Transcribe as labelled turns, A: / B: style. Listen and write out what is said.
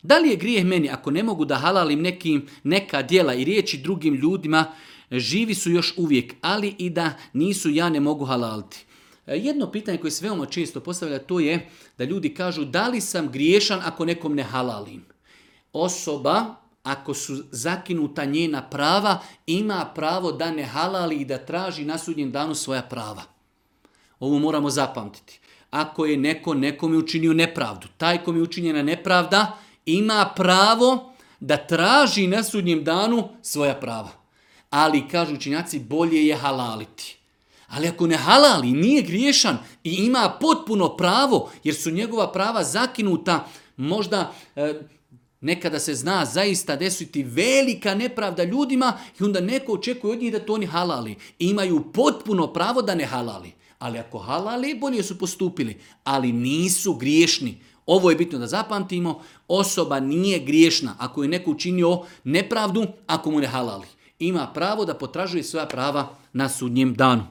A: Da li je grijeh meni ako ne mogu da halalim neka djela i riječi drugim ljudima, živi su još uvijek, ali i da nisu, ja ne mogu halaliti. Jedno pitanje koje se veoma često postavlja, to je da ljudi kažu da li sam griješan ako nekom ne halalim. Osoba, ako su zakinuta njena prava, ima pravo da ne halali i da traži na sudnjem danu svoja prava. Ovo moramo zapamtiti. Ako je neko nekome učinio nepravdu, taj kom je učinjena nepravda ima pravo da traži na sudnjem danu svoja prava. Ali, kažu učinjaci, bolje je halaliti. Ali ako ne halali, nije griješan i ima potpuno pravo, jer su njegova prava zakinuta, možda nekada se zna zaista desiti velika nepravda ljudima i onda neko očekuje od njih da to oni halali. Imaju potpuno pravo da ne halali. Ali ako halali, bolje su postupili. Ali nisu griješni. Ovo je bitno da zapamtimo. Osoba nije griješna ako je neko učinio nepravdu, ako mu ne halali. Ima pravo da potražuje svoja prava na sudnjem danu.